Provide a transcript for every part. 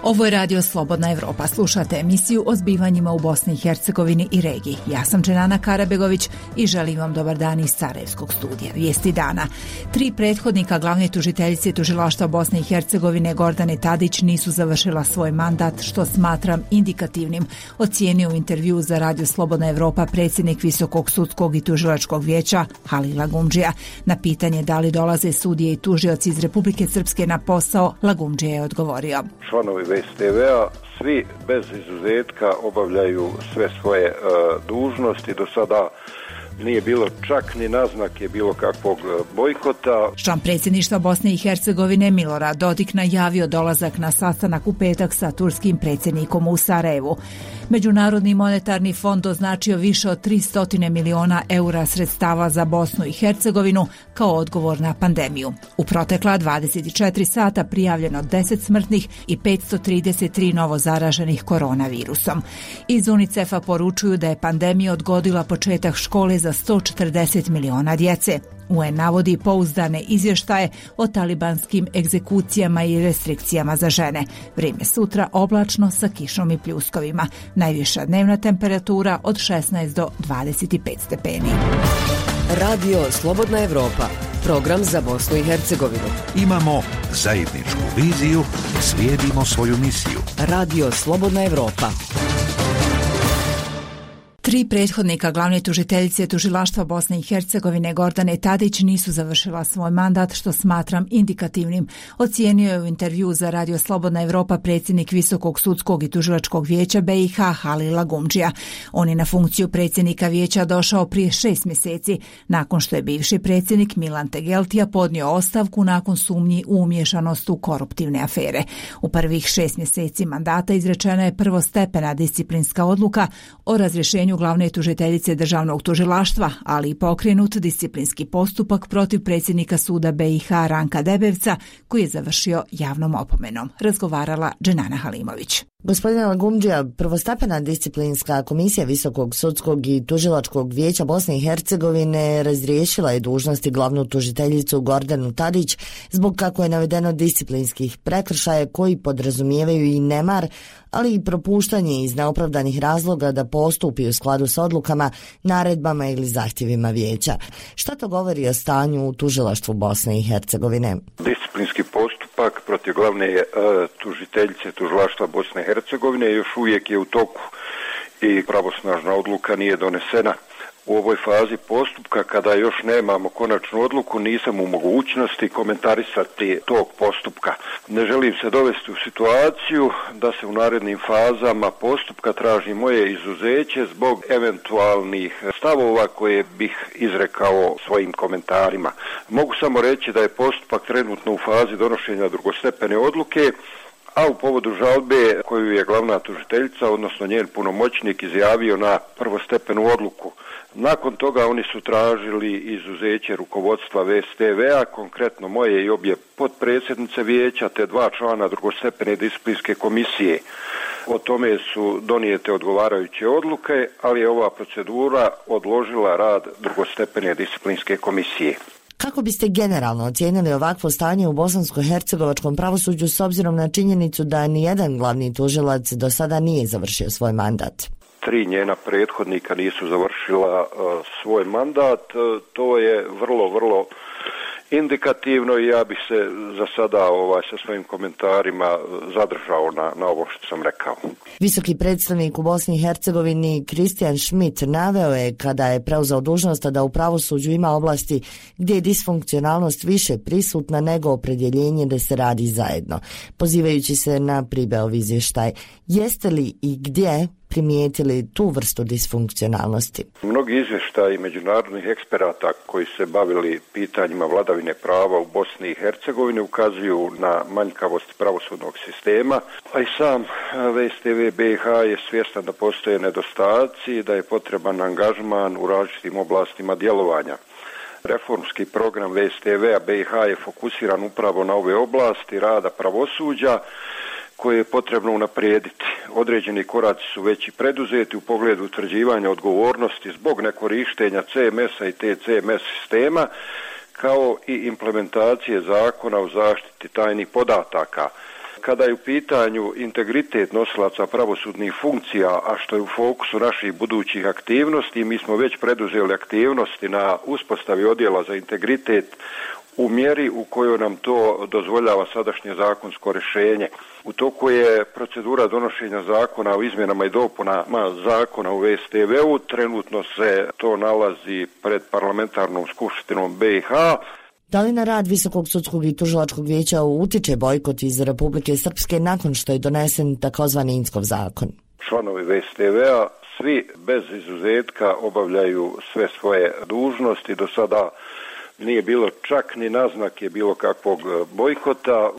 Ovo je Radio Slobodna Evropa. Slušate emisiju o zbivanjima u Bosni i Hercegovini i regiji. Ja sam Dženana Karabegović i želim vam dobar dan iz Sarajevskog studija. Vijesti dana. 3 prethodnika glavne tužiteljice tužilaštva Bosne i Hercegovine Gordane Tadić nisu završila svoj mandat, što smatram indikativnim, ocijenio u intervju za Radio Slobodna Evropa predsjednik Visokog sudskog i tužilačkog vijeća Halil Lagumdžija. Na pitanje da li dolaze sudije i tužioci iz Republike Srpske na posao, Lagumdžija je odgovorio. Članovi VSTV-a svi bez izuzetka obavljaju sve svoje dužnosti. Do sada nije bilo čak ni naznake bilo kakvog bojkota. Član predsjedništva Bosne i Hercegovine Milorad Dodik najavio dolazak na sastanak u petak sa turskim predsjednikom u Sarajevu. Međunarodni monetarni fond označio više od 300 miliona eura sredstava za Bosnu i Hercegovinu kao odgovor na pandemiju. U protekla 24 sata prijavljeno 10 smrtnih i 533 novo zaraženih koronavirusom. Iz UNICEF-a poručuju da je pandemija odgodila početak škole za 140 miliona djece. UN navodi pouzdane izvještaje o talibanskim egzekucijama i restrikcijama za žene. Vrijeme sutra oblačno sa kišom i pljuskovima. Najviša dnevna temperatura od 16 do 25 stepeni. Radio Slobodna Evropa. Program za Bosnu i Hercegovinu. Imamo zajedničku viziju, slijedimo svoju misiju. Radio Slobodna Evropa. 3 prethodnika glavne tužiteljice tužilaštva Bosne i Hercegovine Gordane Tadić nisu završila svoj mandat, što smatram indikativnim, ocijenio je u intervju za Radio Slobodna Evropa predsjednik Visokog sudskog i tužilačkog vijeća BiH Halil Lagumdžija. On je na funkciju predsjednika vijeća došao prije 6 mjeseci, nakon što je bivši predsjednik Milan Tegeltija podnio ostavku nakon sumnji u umiješanost u koruptivne afere. U prvih 6 mjeseci mandata izrečena je prvostepena disciplinska odluka o razrješenju glavne tužiteljice državnog tužilaštva, ali i pokrenut disciplinski postupak protiv predsjednika suda BiH Ranka Debevca, koji je završio javnom opomenom. Razgovarala Dženana Halimović. Gospodine Lagumdžija, prvostepena disciplinska komisija Visokog sudskog i tužilačkog vijeća Bosne i Hercegovine razriješila je dužnosti glavnu tužiteljicu Gordanu Tadić zbog, kako je navedeno, disciplinskih prekršaja koji podrazumijevaju i nemar, ali i propuštanje iz neopravdanih razloga da postupi u skladu s odlukama, naredbama ili zahtjevima vijeća. Šta to govori o stanju u tužilaštvu Bosne i Hercegovine? Disciplinski postupak protiv glavne tužiteljice tužilaštva Bosne i Hercegovine još uvijek je u toku i pravosnažna odluka nije donesena. U ovoj fazi postupka, kada još nemamo konačnu odluku, nisam u mogućnosti komentarisati tog postupka. Ne želim se dovesti u situaciju da se u narednim fazama postupka traži moje izuzeće zbog eventualnih stavova koje bih izrekao svojim komentarima. Mogu samo reći da je postupak trenutno u fazi donošenja drugostepene odluke, a u povodu žalbe koju je glavna tužiteljica, odnosno njen punomoćnik, izjavio na prvostepenu odluku. Nakon toga oni su tražili izuzeće rukovodstva VSTV-a, konkretno moje i obje potpredsjednice vijeća, te 2 člana drugostepene disciplinske komisije. O tome su donijete odgovarajuće odluke, ali je ova procedura odložila rad drugostepene disciplinske komisije. Kako biste generalno ocijenili ovakvo stanje u bosansko-hercegovačkom pravosuđu s obzirom na činjenicu da nijedan glavni tužilac do sada nije završio svoj mandat? 3 njena prethodnika nisu završila svoj mandat. To je vrlo indikativno i ja bih se za sada sa svojim komentarima zadržao na ovo što sam rekao. Visoki predstavnik u Bosni i Hercegovini Kristijan Schmidt naveo je, kada je preuzeo dužnost, da u pravosuđu ima oblasti gdje je disfunkcionalnost više prisutna nego opredjeljenje da se radi zajedno, pozivajući se na Pribeov izvještaj. Jeste li i gdje primijetili tu vrstu disfunkcionalnosti? Mnogi izvještaji međunarodnih eksperata koji se bavili pitanjima vladavine prava u Bosni i Hercegovini ukazuju na manjkavost pravosudnog sistema, a i sam VSTV BiH je svjestan da postoje nedostaci i da je potreban angažman u različitim oblastima djelovanja. Reformski program VSTV-a BiH je fokusiran upravo na ove oblasti rada pravosuđa koje je potrebno unaprijediti. Određeni koraci su već i preduzeti u pogledu utvrđivanja odgovornosti zbog nekorištenja CMS-a i TCMS sistema, kao i implementacije zakona o zaštiti tajnih podataka. kada je u pitanju integritet nosilaca pravosudnih funkcija, a što je u fokusu naših budućih aktivnosti, mi smo već preduzeli aktivnosti na uspostavi odjela za integritet u mjeri u kojoj nam to dozvoljava sadašnje zakonsko rješenje. U toku je procedura donošenja zakona o izmjenama i dopunama zakona u VSTV-u. Trenutno se to nalazi pred parlamentarnom skupštinom BiH. Da li na rad Visokog sudskog i tužilačkog vijeća utiče bojkot iz Republike Srpske nakon što je donesen takozvani Inckov zakon? Članovi VSTV-a svi bez izuzetka obavljaju sve svoje dužnosti. Do sada nije bilo čak ni naznake bilo kakvog bojkota.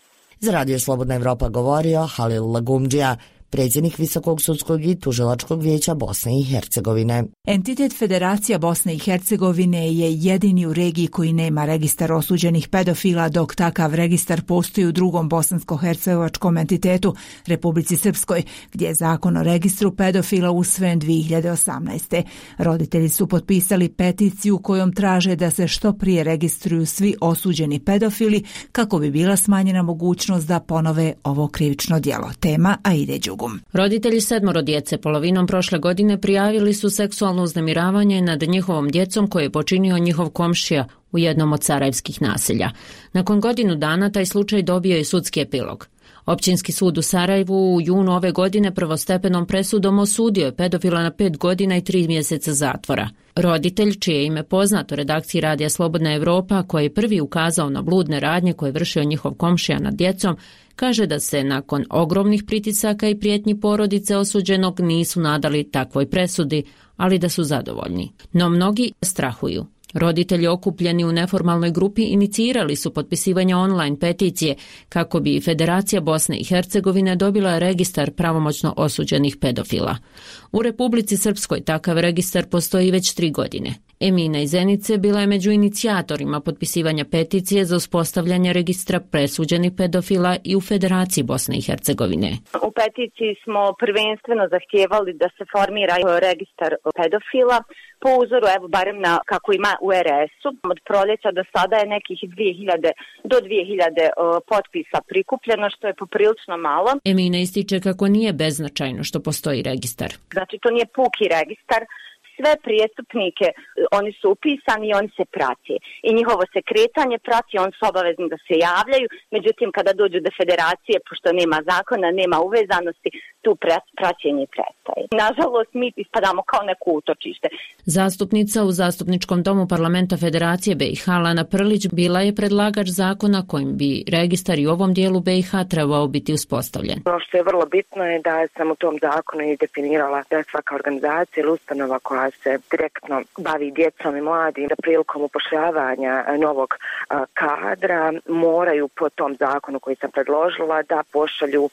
Za Radio Slobodna Evropa govorio Halil Lagumdžija, predsjednik Visokog sudskog i tužilačkog vijeća Bosne i Hercegovine. Entitet Federacija Bosne i Hercegovine je jedini u regiji koji nema registar osuđenih pedofila, dok takav registar postoji u drugom bosansko-hercegovačkom entitetu, Republici Srpskoj, gdje je zakon o registru pedofila usvojen 2018. Roditelji su potpisali peticiju kojom traže da se što prije registruju svi osuđeni pedofili kako bi bila smanjena mogućnost da ponove ovo krivično djelo. Tema Aide Đugum. Roditelji 7 djece polovinom prošle godine prijavili su seksualno uznemiravanje nad njihovom djecom koje je počinio njihov komšija u jednom od sarajevskih naselja. Nakon godinu dana taj slučaj dobio je sudski epilog. Općinski sud u Sarajevu u junu ove godine prvostepenom presudom osudio je pedofila na 5 godina i 3 mjeseca zatvora. Roditelj, čije ime poznato redakciji Radija Slobodna Evropa, koji je prvi ukazao na bludne radnje koje je vršio njihov komšija nad djecom, kaže da se nakon ogromnih pritisaka i prijetnji porodice osuđenog nisu nadali takvoj presudi, ali da su zadovoljni. No mnogi strahuju. Roditelji okupljeni u neformalnoj grupi inicirali su potpisivanje online peticije kako bi Federacija Bosne i Hercegovine dobila registar pravomoćno osuđenih pedofila. U Republici Srpskoj takav registar postoji već 3 godine. Emina iz Zenice bila je među inicijatorima potpisivanja peticije za uspostavljanje registra presuđenih pedofila i u Federaciji Bosne i Hercegovine. U peticiji smo prvenstveno zahtijevali da se formira registar pedofila po uzoru, evo barem na kako ima u RS-u. Od proljeća do sada je nekih 2000 do 2000 potpisa prikupljeno, što je poprilično malo. Emina ističe kako nije beznačajno što postoji registar. Znači to nije puki registar. Sve prijestupnike, oni su upisani i oni se prati. I njihovo se kretanje prati, oni su obavezni da se javljaju. Međutim, kada dođu do federacije, pošto nema zakona, nema uvezanosti, tu praćenje prestaje. Nažalost, mi ispadamo kao neko utočište. Zastupnica u Zastupničkom domu parlamenta Federacije BiH Lana Prlić bila je predlagač zakona kojim bi registar i u ovom dijelu BiH trebao biti uspostavljen. Ono što je vrlo bitno je da sam u tom zakonu i definirala da svaka organizacija ili ustanova koja se direktno bavi djecom i mladim, da prilikom upošljavanja novog kadra moraju po tom zakonu koji sam predložila da pošalju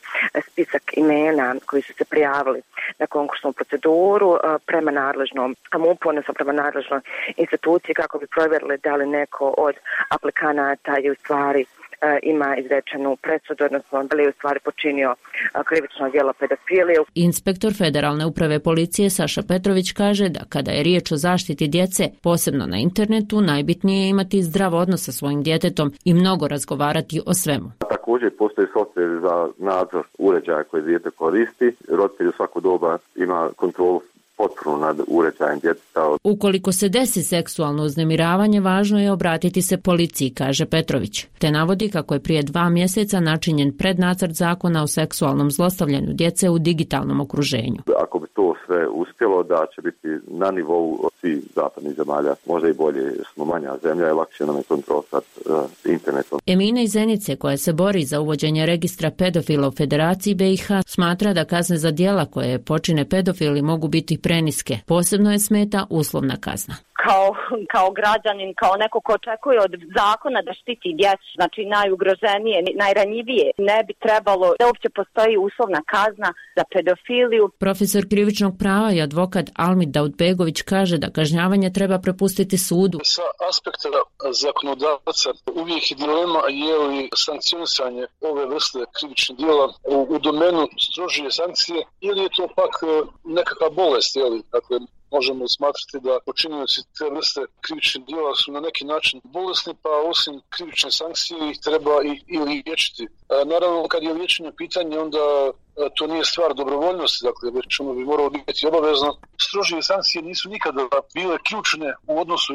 spisak imena koji su se prijavili na konkursnu proceduru prema nadležnom MUP-u, odnosno prema nadležnoj instituciji kako bi provjerili da li neko od aplikanata je u stvari ima izrečenu presudu, odnosno da li je u stvari počinio krivično djelo pedofilije. Inspektor Federalne uprave policije Saša Petrović kaže da kada je riječ o zaštiti djece, posebno na internetu, najbitnije je imati zdrav odnos sa svojim djetetom i mnogo razgovarati o svemu. Također postoji softver za nadzor uređaja koje dijete koristi. Roditelj u svako doba ima kontrolu potpuno nad uređajem djeteta. Ukoliko se desi seksualno uznemiravanje, važno je obratiti se policiji, kaže Petrović. Te navodi kako je prije 2 mjeseca načinjen prednacrt zakona o seksualnom zlostavljanju djece u digitalnom okruženju. Ako bi to sve uspjelo, da će biti na nivou svih zapadnih zemalja, možda i bolje, smo manja zemlja i lakše nam je kontrolisati internetom. Emina iz Zenice, koja se bori za uvođenje registra pedofila u Federaciji BiH, smatra da kazne za djela koje počine pedofili mogu biti preniske. Posebno je smeta uslovna kazna. Kao građanin, kao neko ko očekuje od zakona da štiti djecu, znači najugroženije, najranjivije, ne bi trebalo da uopće postoji uslovna kazna za pedofiliju. Profesor krivičnog prava i advokat Almid Daudbegović kaže da kažnjavanje treba prepustiti sudu. Sa aspekta zakonodavca uvijek je dilema je li sankcionisanje ove vrste krivičnih djela u domenu strožije sankcije ili je to pak nekakva bolest, dakle možemo smatrati da počinioci te vrste krivičnih djela su na neki način bolesni, pa osim krivične sankcije ih treba i liječiti. Naravno, kad je liječenje pitanje, onda to nije stvar dobrovoljnosti, dakle, već ono bi moralo biti obavezno. Strožije sankcije nisu nikada bile ključne u odnosu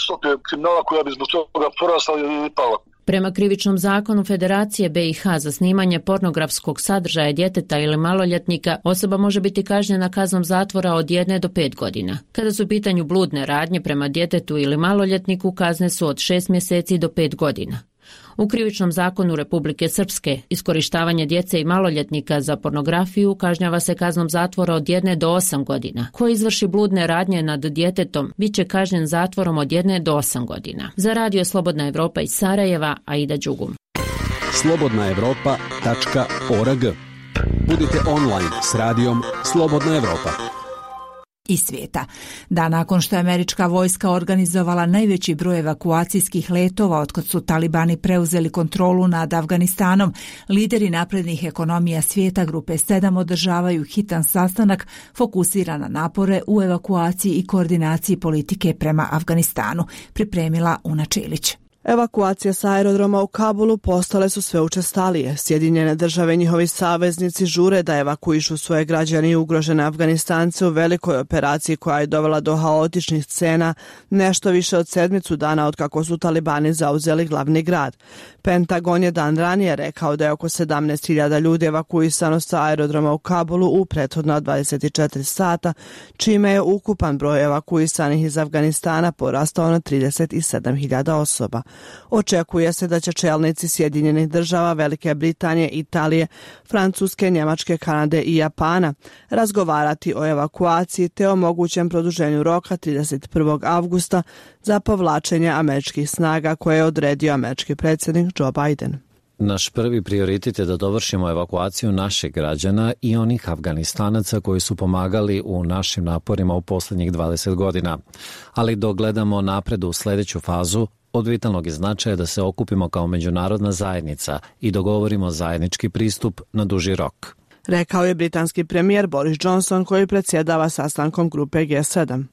stope kriminala koja bi zbog toga porasla ili pala. Prema krivičnom zakonu Federacije BiH za snimanje pornografskog sadržaja djeteta ili maloljetnika osoba može biti kažnjena kaznom zatvora od 1 do 5 godina. Kada su u pitanju bludne radnje prema djetetu ili maloljetniku, kazne su od 6 mjeseci do 5 godina. U krivičnom zakonu Republike Srpske iskorištavanje djece i maloljetnika za pornografiju kažnjava se kaznom zatvora od 1 do 8 godina. Ko izvrši bludne radnje nad djetetom bit će kažnjen zatvorom od 1 do 8 godina. Za Radio Slobodna Evropa iz Sarajeva, Aida Đugum. slobodnaevropa.org. Budite online s radijom Slobodna Evropa. I svijeta. Dan nakon što je američka vojska organizovala najveći broj evakuacijskih letova otkad su talibani preuzeli kontrolu nad Afganistanom, lideri naprednih ekonomija svijeta grupe 7 održavaju hitan sastanak fokusiran na napore u evakuaciji i koordinaciji politike prema Afganistanu, pripremila Una Čilić. Evakuacije sa aerodroma u Kabulu postale su sve učestalije. Sjedinjene države i njihovi saveznici žure da evakuišu svoje građane i ugrožene Afganistance u velikoj operaciji koja je dovela do haotičnih scena nešto više od 7 dana od kako su talibani zauzeli glavni grad. Pentagon je dan ranije rekao da je oko 17.000 ljudi evakuisano sa aerodroma u Kabulu u prethodna 24 sata, čime je ukupan broj evakuisanih iz Afganistana porastao na 37.000 osoba. Očekuje se da će čelnici Sjedinjenih država, Velike Britanije, Italije, Francuske, Njemačke, Kanade i Japana razgovarati o evakuaciji te o mogućem produženju roka 31. avgusta za povlačenje američkih snaga koje je odredio američki predsjednik Joe Biden. Naš prvi prioritet je da dovršimo evakuaciju naših građana i onih Afganistanaca koji su pomagali u našim naporima u posljednjih 20 godina. Ali dok gledamo napred u sljedeću fazu, od vitalnog je značaja da se okupimo kao međunarodna zajednica i dogovorimo zajednički pristup na duži rok. Rekao je britanski premijer Boris Johnson koji predsjedava sastankom grupe G7.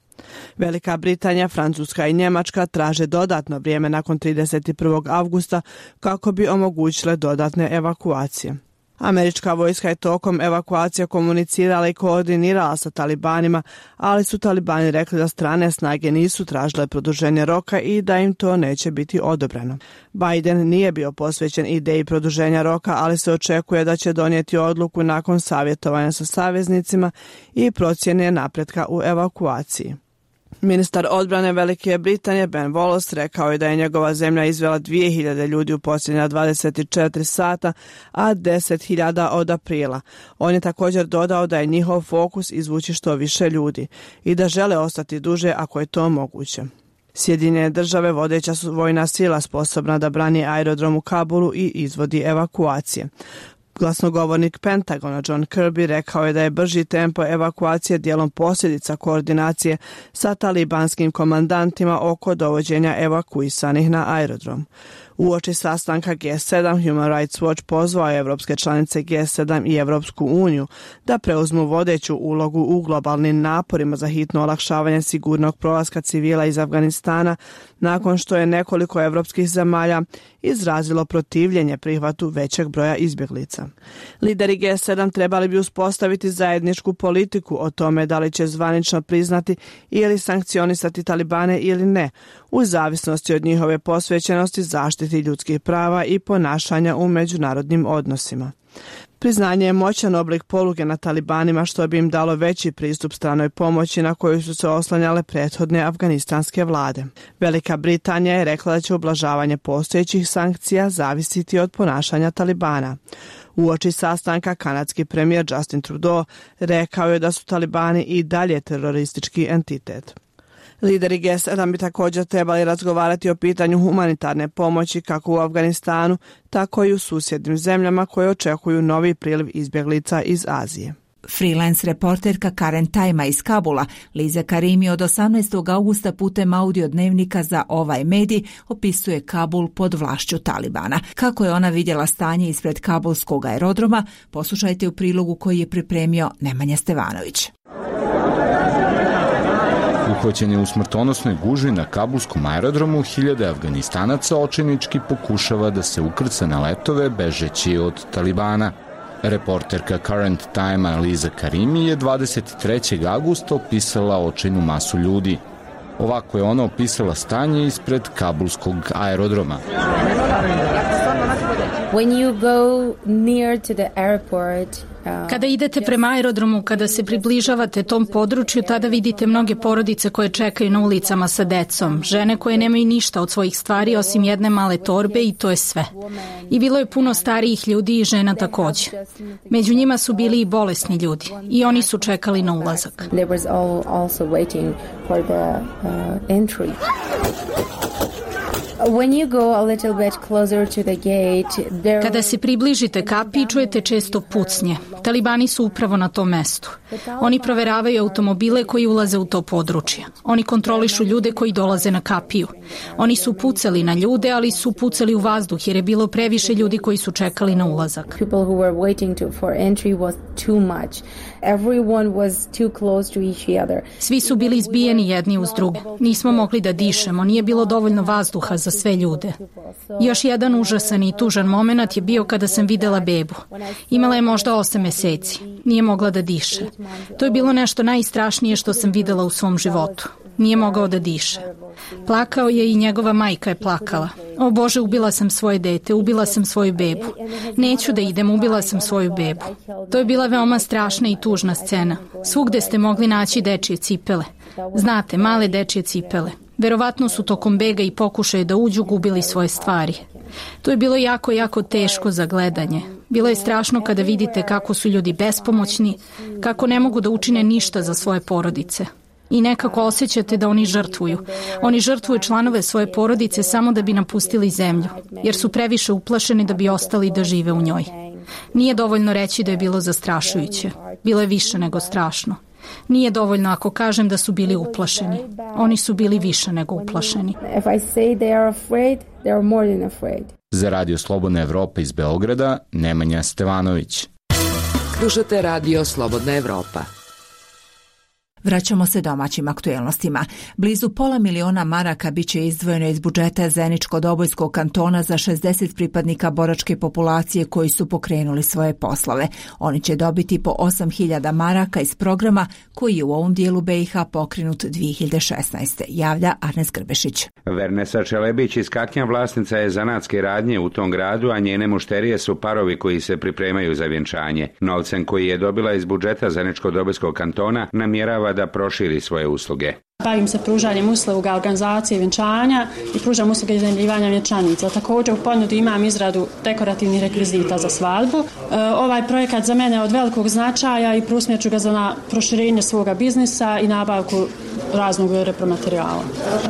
Velika Britanija, Francuska i Njemačka traže dodatno vrijeme nakon 31. avgusta kako bi omogućile dodatne evakuacije. Američka vojska je tokom evakuacije komunicirala i koordinirala sa talibanima, ali su talibani rekli da strane snage nisu tražile produženje roka i da im to neće biti odobreno. Biden nije bio posvećen ideji produženja roka, ali se očekuje da će donijeti odluku nakon savjetovanja sa saveznicima i procjene napretka u evakuaciji. Ministar odbrane Velike Britanije Ben Wallace rekao je da je njegova zemlja izvela 2000 ljudi u posljednja 24 sata, a 10.000 od aprila. On je također dodao da je njihov fokus izvući što više ljudi i da žele ostati duže ako je to moguće. Sjedinjene države vodeća su vojna sila sposobna da brani aerodrom u Kabulu i izvodi evakuacije. Glasnogovornik Pentagona John Kirby rekao je da je brži tempo evakuacije dijelom posljedica koordinacije sa talibanskim komandantima oko dovođenja evakuisanih na aerodrom. Uoči sastanka G7, Human Rights Watch pozvao je evropske članice G7 i Evropsku uniju da preuzmu vodeću ulogu u globalnim naporima za hitno olakšavanje sigurnog prolaska civila iz Afganistana nakon što je nekoliko evropskih zemalja izrazilo protivljenje prihvatu većeg broja izbjeglica. Lideri G7 trebali bi uspostaviti zajedničku politiku o tome da li će zvanično priznati ili sankcionisati talibane ili ne, u zavisnosti od njihove posvećenosti zaštiti ljudskih prava i ponašanja u međunarodnim odnosima. Priznanje je moćan oblik poluge na talibanima što bi im dalo veći pristup stranoj pomoći na koju su se oslanjale prethodne afganistanske vlade. Velika Britanija je rekla da će ublažavanje postojećih sankcija zavisiti od ponašanja talibana. Uoči sastanka kanadski premijer Justin Trudeau rekao je da su talibani i dalje teroristički entitet. Lideri G7 bi također trebali razgovarati o pitanju humanitarne pomoći kako u Afganistanu, tako i u susjednim zemljama koje očekuju novi priliv izbjeglica iz Azije. Freelance reporterka Karen Tajma iz Kabula, Liza Karimi od 18. augusta putem audio dnevnika za ovaj medij opisuje Kabul pod vlašću Talibana. Kako je ona vidjela stanje ispred kabulskog aerodroma, poslušajte u prilogu koji je pripremio Nemanja Stevanović. Uhvaćen je u smrtonosnoj gužvi na kabulskom aerodromu, hiljade Afganistanaca očajnički pokušava da se ukrca na letove bežeći od Talibana. Reporterka Current Time Aliza Karimi je 23. augusta opisala očajnu masu ljudi. Ovako je ona opisala stanje ispred kabulskog aerodroma. Kada idete prema aerodromu, kada se približavate tom području, tada vidite mnoge porodice koje čekaju na ulicama sa decom, žene koje nemaju ništa od svojih stvari osim jedne male torbe i to je sve. I bilo je puno starijih ljudi i žena također. Među njima su bili i bolesni ljudi i oni su čekali na ulazak. Kada se približite kapiji, čujete često pucnje. Talibani su upravo na tom mestu. Oni proveravaju automobile koji ulaze u to područje. Oni kontrolišu ljude koji dolaze na kapiju. Oni su pucali na ljude, ali su pucali u vazduh jer je bilo previše ljudi koji su čekali na ulazak. Svi su bili izbijeni jedni uz druge. Nismo mogli da dišemo, nije bilo dovoljno vazduha za sve ljude. Još jedan užasan i tužan moment je bio kada sam videla bebu. Imala je možda 8 meseci. Nije mogla da diše. To je bilo nešto najstrašnije što sam videla u svom životu. Nije mogao da diše. Plakao je i njegova majka je plakala. O Bože, ubila sam svoje dete, ubila sam svoju bebu. Neću da idem, ubila sam svoju bebu. To je bila veoma strašna i tužna scena. Svugde ste mogli naći dečje cipele. Znate, male dečje cipele. Verovatno su tokom bega i pokušaja da uđu gubili svoje stvari. To je bilo jako, jako teško za gledanje. Bilo je strašno kada vidite kako su ljudi bespomoćni, kako ne mogu da učine ništa za svoje porodice. I nekako osjećate da oni žrtvuju. Oni žrtvuju članove svoje porodice samo da bi napustili zemlju, jer su previše uplašeni da bi ostali da žive u njoj. Nije dovoljno reći da je bilo zastrašujuće. Bilo je više nego strašno. Nije dovoljno ako kažem da su bili uplašeni. Oni su bili više nego uplašeni. Za Radio Slobodna Evropa iz Beograda, Nemanja Stevanović. Slušate Radio Slobodna Evropa. Vraćamo se domaćim aktuelnostima. Blizu $500.000 maraka biće izdvojeno iz budžeta Zeničko-Dobojskog kantona za 60 pripadnika boračke populacije koji su pokrenuli svoje poslove. Oni će dobiti po 8.000 maraka iz programa koji je u ovom dijelu BiH pokrenut 2016. Javlja Arnes Grbešić. Vernesa Čelebić iz Kaknja vlasnica je zanatske radnje u tom gradu, a njene mušterije su parovi koji se pripremaju za vjenčanje. Novcem koji je dobila iz budžeta Zeničko-Dobojskog kantona namjerava da proširi svoje usluge. Bavim se pružanjem usluga organizacije vjenčanja i pružam usluge iznajmljivanja vjenčanica. Također u ponudi imam izradu dekorativnih rekvizita za svadbu. Ovaj projekat za mene je od velikog značaja i preusmjerit ću ga za proširenje svoga biznisa i nabavku raznog repromaterijala.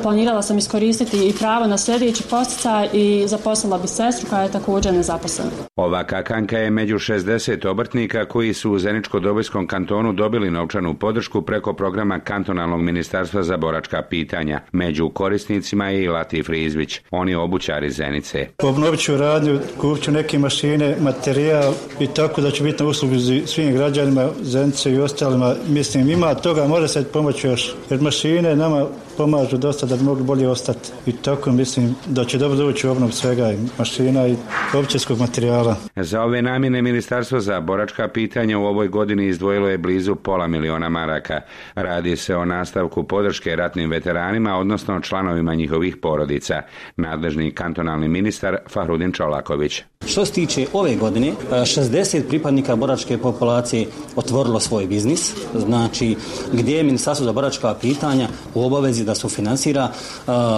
Planirala sam iskoristiti i pravo na sljedeći podsticaj i zaposlila bi sestru koja je također nezaposlena. Ova kakanka je među 60 obrtnika koji su u Zeničko-Dobojskom kantonu dobili novčanu podršku preko programa kantonalnog ministarstva za boračka pitanja. Među korisnicima je i Latif Rizvić. On je obućar iz Zenice. Obnovit ću radnju, kupit ću neke mašine, materijal i tako da će biti na uslugu svim građanima Zenice i ostalima. Mislim, ima toga, može se pomoći još. Jer mašine nama pomažu dosta da bi mogli bolje ostati. I tako mislim da će dobro doći u obnovu svega i mašina i općinskog materijala. Za ove namjene Ministarstvo za boračka pitanja u ovoj godini izdvojilo je blizu $500.000 maraka. Radi se o nastavku podrške ratnim veteranima, odnosno članovima njihovih porodica. Nadležni kantonalni ministar Fahrudin Čolaković. Što se tiče ove godine, 60 pripadnika boračke populacije otvorilo svoj biznis, znači gdje je Ministarstvo za boračka pitanja u obavezi da sufinansira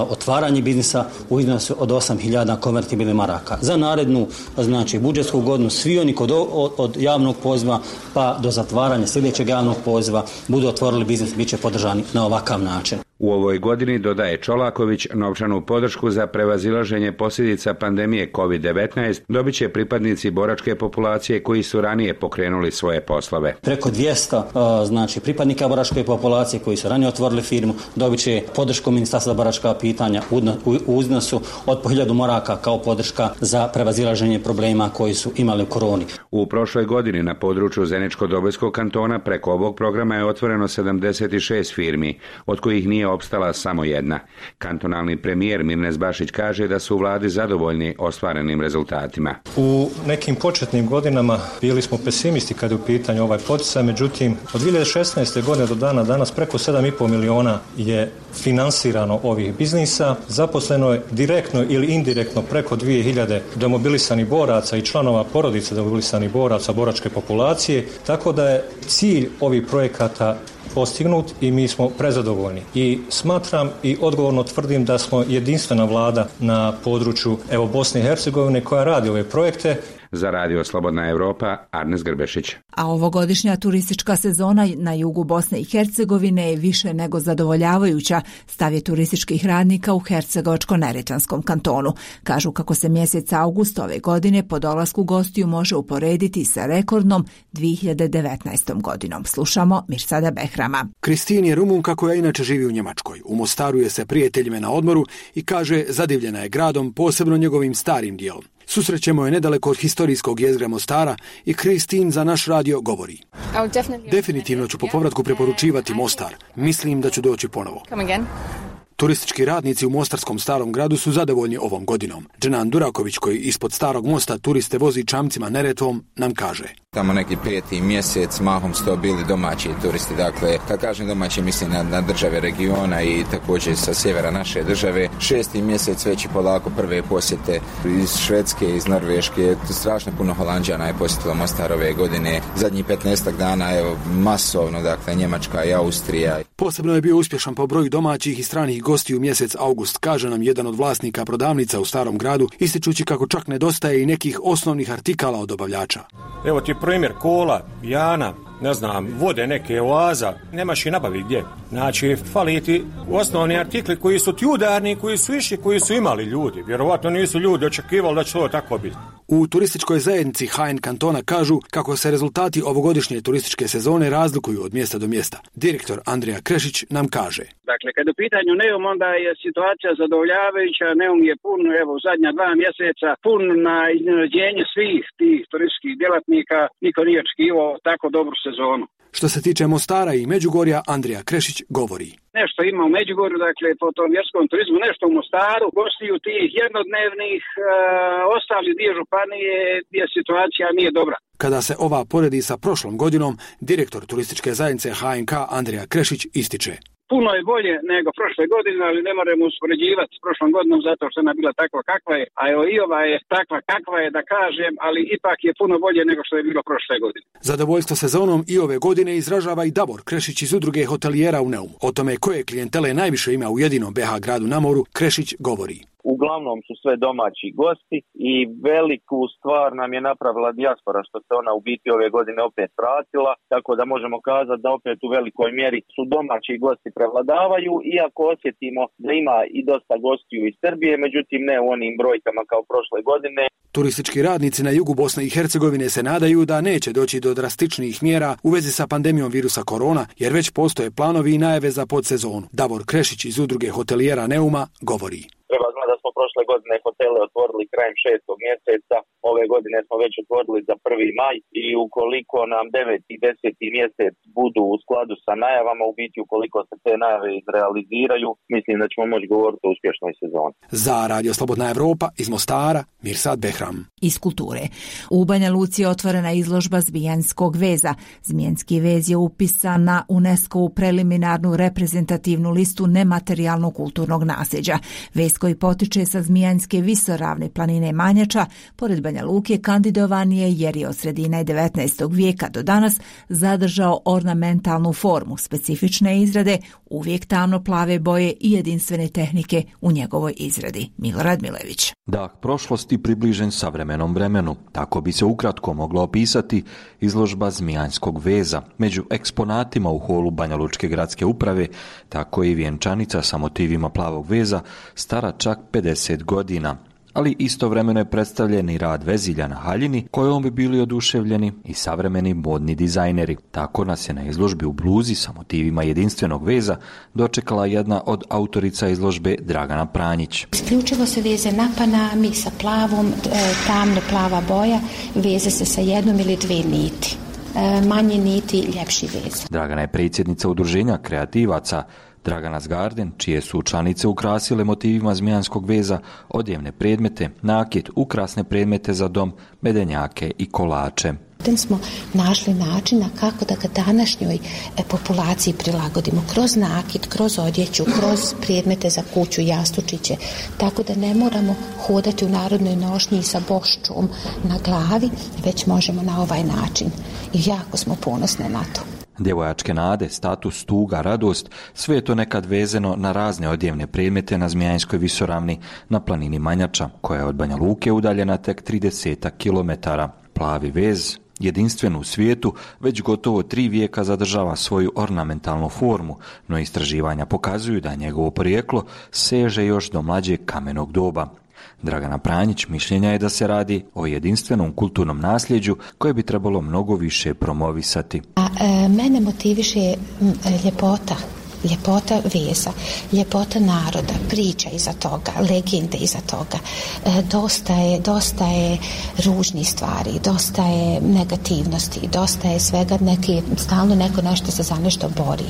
otvaranje biznisa u iznosu od 8.000 konvertibilnih maraka. Za narednu, znači budžetsku godinu, svi oni od javnog poziva pa do zatvaranja sljedećeg javnog poziva budu otvorili biznis, bit će podržani na ovakav način. U ovoj godini, dodaje Čolaković, novčanu podršku za prevazilaženje posljedica pandemije COVID-19 dobit će pripadnici boračke populacije koji su ranije pokrenuli svoje poslove. Preko 200 pripadnika boračke populacije koji su ranije otvorili firmu dobit će podršku Ministarstva za boračka pitanja u iznosu od po 1000 maraka kao podrška za prevazilaženje problema koji su imali u koroni. U prošloj godini na području Zeničko-Dobojskog kantona preko ovog programa je otvoreno 76 firmi, od kojih nije opstala samo jedna. Kantonalni premijer Mirnes Bašić kaže da su u vladi zadovoljni ostvarenim rezultatima. U nekim početnim godinama bili smo pesimisti kad je u pitanju ovaj poticaj, međutim od 2016. godine do dana danas preko 7,5 miliona je finansirano ovih biznisa. Zaposleno je direktno ili indirektno preko 2000 demobilisanih boraca i članova porodice demobilisanih boraca boračke populacije, tako da je cilj ovih projekata postignut i mi smo prezadovoljni. I smatram i odgovorno tvrdim da smo jedinstvena vlada na području Bosne i Hercegovine koja radi ove projekte. Za Radio Slobodna Evropa, Arnes Grbešić. A ovogodišnja turistička sezona na jugu Bosne i Hercegovine je više nego zadovoljavajuća, stav je turističkih radnika u Hercegovačko-Neretvanskom kantonu. Kažu kako se mjesec avgust ove godine po dolasku gostiju može uporediti sa rekordnom 2019. godinom. Slušamo Mirsada Behrama. Kristin je Rumunka koja inače živi u Njemačkoj. U Mostaru je sa prijateljima na odmoru i kaže zadivljena je gradom, posebno njegovim starim dijelom. Susrećemo je nedaleko od historijskog jezgra Mostara i Kristin za naš radio govori. Definitivno ću po povratku preporučivati Mostar. Mislim da ću doći ponovo. Turistički radnici u Mostarskom starom gradu su zadovoljni ovom godinom. Dženan Duraković, koji ispod starog mosta turiste vozi čamcima Neretvom, nam kaže. Tamo neki 5. mjesec, mahom su to bili domaći turisti. Dakle, kad kažem domaći, mislim na države regiona i također sa sjevera naše države. 6. mjesec već i polako prve posjete iz Švedske, iz Norveške. Strašno puno Holanđana je posjetilo Mostar ove godine. Zadnjih 15 dana, masovno, dakle, Njemačka i Austrija. Posebno je bio uspješan po broju domaćih i stranih gostiju mjesec avgust, kaže nam jedan od vlasnika prodavnica u starom gradu, ističući kako čak nedostaje i nekih osnovnih artikala od dobavljača. Evo ti primjer kola, jana, vode neke, oaza, nemaš i nabavi gdje. Znači, fali ti osnovni artikli koji su ti udarni, koji su išli, koji su imali ljudi. Vjerovatno nisu ljudi očekivali da će to tako biti. U turističkoj zajednici HN kantona kažu kako se rezultati ovogodišnje turističke sezone razlikuju od mjesta do mjesta. Direktor Andrija Krešić nam kaže. Dakle, kad u pitanju Neum, onda je situacija zadovoljavajuća. Neum je pun, u zadnja 2 mjeseca, pun na iznenađenje svih tih turističkih djelatnika. Niko nije očekivao tako dobru sezonu. Što se tiče Mostara i Međugorja, Andrija Krešić govori. Nešto ima u Međugorju, dakle, po tom vjerskom turizmu, nešto u Mostaru, gostiju tih jednodnevnih, ostali dio županije gdje situacija nije dobra. Kada se ova poredi sa prošlom godinom, direktor turističke zajednice HNK Andrija Krešić ističe. Puno je bolje nego prošle godine, ali ne moramo uspoređivati s prošlom godinom zato što ona bila takva kakva je, a i ova je takva kakva je, da kažem, ali ipak je puno bolje nego što je bilo prošle godine. Zadovoljstvo sezonom i ove godine izražava i Davor Krešić iz udruge hotelijera u Neumu. O tome koje klijentele najviše ima u jedinom BH gradu na moru, Krešić govori. Uglavnom su sve domaći gosti i veliku stvar nam je napravila dijaspora, što se ona u biti ove godine opet vratila, tako da možemo kazati da opet u velikoj mjeri su domaći gosti prevladavaju, iako osjetimo da ima i dosta gostiju iz Srbije, međutim ne u onim brojkama kao prošle godine. Turistički radnici na jugu Bosne i Hercegovine se nadaju da neće doći do drastičnijih mjera u vezi sa pandemijom virusa korona, jer već postoje planovi i najave za podsezonu. Davor Krešić iz udruge hotelijera Neuma govori. Treba znati da smo prošle godine hotele otvorili krajem 6. mjeseca, ove godine smo već otvorili za 1. maj i ukoliko nam 9. i 10. mjesec budu u skladu sa najavama, u biti ukoliko se te najave izrealiziraju, mislim da ćemo moći govoriti o uspješnoj sezoni. Za Radio Slobodna Evropa iz Mostara, Mirsad Behram. Iz kulture. U Banja Luci je otvorena izložba zmijanskog veza. Zmijanski vez je upisan na UNESCO-vu preliminarnu reprezentativnu listu nematerijalnog kulturnog nasljeđa. Vez koji potiče sa Zmijanske visoravne planine Manjača, pored Banja Luke, kandidovan je jer je od sredine 19. vijeka do danas zadržao ornamentalnu formu specifične izrade uvijek tamno plave boje i jedinstvene tehnike u njegovoj izradi. Milorad Milević. Dah prošlosti približen savremenom vremenu. Tako bi se ukratko moglo opisati izložba Zmijanskog veza. Među eksponatima u holu Banja Lučke gradske uprave, tako i vjenčanica sa motivima plavog veza, stara čak 50 godina. Ali istovremeno je predstavljen i rad vezilja na haljini, kojom bi bili oduševljeni i savremeni modni dizajneri. Tako nas je na izložbi u bluzi sa motivima jedinstvenog veza dočekala jedna od autorica izložbe, Dragana Pranjić. Isključivo se veze na panami sa plavom, tamno plava boja, veze se sa jednom ili dvije niti. Manje niti, ljepši vez. Dragana je predsjednica udruženja kreativaca Dragana's Garden, čije su članice ukrasile motivima zmijanskog veza odjevne predmete, nakit, ukrasne predmete za dom, medenjake i kolače. Smo našli načina kako da ga današnjoj populaciji prilagodimo kroz nakit, kroz odjeću, kroz predmete za kuću, jastučiće, tako da ne moramo hodati u narodnoj nošnji sa boščom na glavi, već možemo na ovaj način. I jako smo ponosne na to. Djevojačke nade, status, tuga, radost, sve je to nekad vezano na razne odjevne predmete na Zmijanskoj visoravni, na planini Manjača, koja je od Banja Luke udaljena tek 30 kilometara. Plavi vez, jedinstven u svijetu, već gotovo 3 vijeka zadržava svoju ornamentalnu formu, no istraživanja pokazuju da njegovo porijeklo seže još do mlađeg kamenog doba. Dragana Pranjić mišljenja je da se radi o jedinstvenom kulturnom nasljeđu koje bi trebalo mnogo više promovisati. Mene motiviše ljepota. Ljepota veza, ljepota naroda, priča iza toga, legende iza toga. Dosta je ružnih stvari, dosta je negativnosti, dosta je svega, stalno neko nešto se za nešto bori.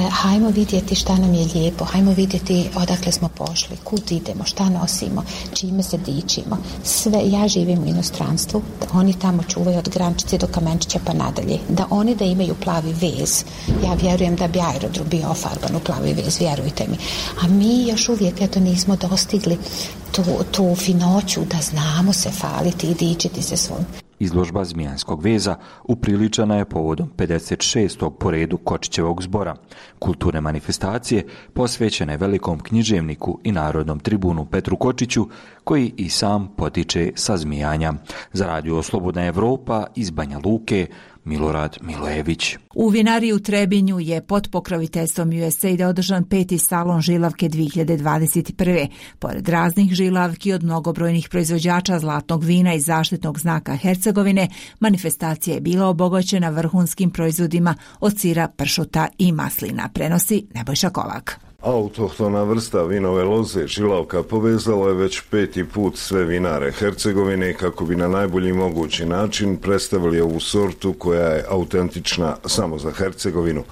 Hajmo vidjeti šta nam je lijepo, hajmo vidjeti odakle smo pošli, kud idemo, šta nosimo, čime se dičimo. Sve, ja živim u inostranstvu, da oni tamo čuvaju od Grančice do Kamenčića pa nadalje, da oni da imaju plavi vez. Ja vjerujem da bi aerodrom bio ofarban u plavi vez, vjerujte mi. A mi još uvijek nismo dostigli tu finoću da znamo se faliti i dičiti se svojim. Izložba Zmijanskog veza upriličena je povodom 56. po redu Kočićevog zbora, kulturne manifestacije posvećene velikom književniku i narodnom tribunu Petru Kočiću, koji i sam potiče sa Zmijanja. Za Radio Slobodna Evropa iz Banja Luke, Milorad Milojević. U vinariji u Trebinju je pod pokroviteljstvom USAID-a održan 5. salon žilavke 2021. Pored raznih žilavki od mnogobrojnih proizvođača zlatnog vina i zaštitnog znaka Hercegovine, manifestacija je bila obogaćena vrhunskim proizvodima od sira, pršuta i maslina, prenosi Nebojša Kolak. Autohtona vrsta vinove loze žilavka povezala je već 5. put sve vinare Hercegovine kako bi na najbolji mogući način predstavili ovu sortu koja je autentična samo za Hercegovinu.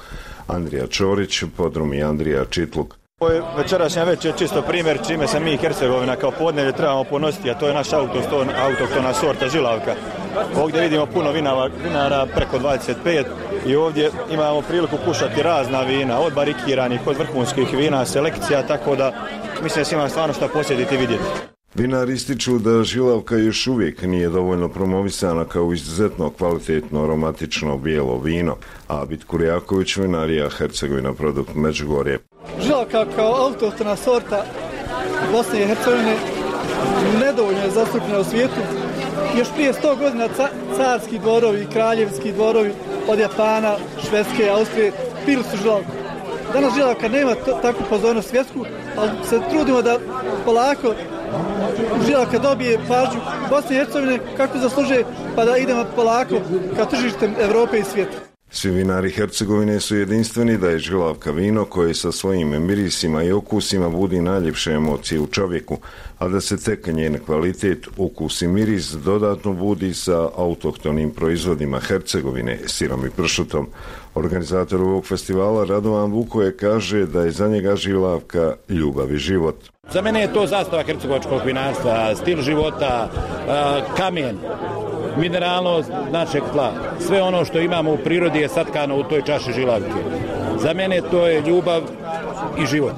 Andrija Čorić, podrumi Andrija Čitluk. Ovo je večerašnja večer čisto primjer čime se mi Hercegovina kao podneblje trebamo ponositi, a to je naša autohtona sorta žilavka. Ovdje vidimo puno vinara, preko 25, i ovdje imamo priliku kušati razna vina, od barikiranih, od vrhunskih vina, selekcija, tako da mislim da se ima stvarno šta posjetiti i vidjeti. Vinari ističu da žilavka još uvijek nije dovoljno promovisana kao izuzetno kvalitetno aromatično bijelo vino, a Abid Kurjaković, vinarija Hercegovina produkt Međugorje. Žilavka kao autohtona sorta Bosne i Hercegovine nedovoljno je zastupljena u svijetu. Još prije 100 godina carski dvorovi, kraljevski dvorovi od Japana, Švedske, Austrije pili su žilavku. Danas žilavka nema takvu pozornost svjetsku, ali se trudimo da polako žilavka dobije pažnju Bosne i Hercegovine kako zaslužuje, pa da idemo polako ka tržištem Evrope i svijeta. Svi vinari Hercegovine su jedinstveni da je žilavka vino koje sa svojim mirisima i okusima budi najljepše emocije u čovjeku, a da se tek njen kvalitet, ukus i miris dodatno budi sa autohtonim proizvodima Hercegovine, sirom i pršutom. Organizator ovog festivala Radovan Vukoje kaže da je za njega žilavka ljubav i život. Za mene je to zastava hercegovačkog vinarstva, stil života, kamen, mineralnost našeg tla. Sve ono što imamo u prirodi je satkano u toj čaši žilavke. Za mene to je ljubav i život.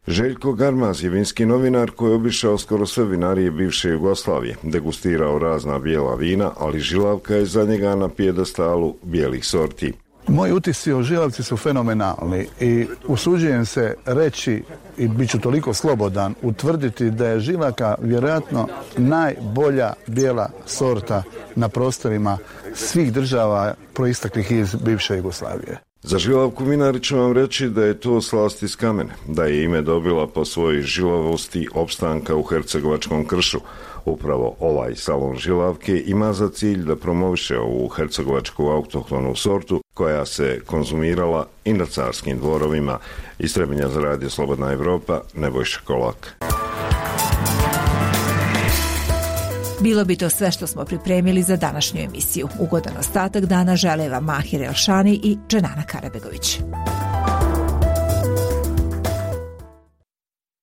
Željko Garmaz je vinski novinar koji je obišao skoro sve vinarije bivše Jugoslavije, degustirao razna bijela vina, ali žilavka je za njega na pijedestalu bijelih sorti. Moji utisci o žilavci su fenomenalni i usuđujem se reći, i bit ću toliko slobodan, utvrditi da je žilavka vjerojatno najbolja bijela sorta na prostorima svih država proisteklih iz bivše Jugoslavije. Za žilavku vinari ću vam reći da je to slast iz kamene, da je ime dobila po svojoj žilavosti opstanka u hercegovačkom kršu. Upravo ovaj salon žilavke ima za cilj da promoviše ovu hercegovačku autohtonu sortu koja se konzumirala i na carskim dvorovima. Iz Trebinja za Radio Slobodna Evropa, Nebojša Kolak. Bilo bi to sve što smo pripremili za današnju emisiju. Ugodan ostatak dana žele vam Mahir Elšani i Dženana Karabegović.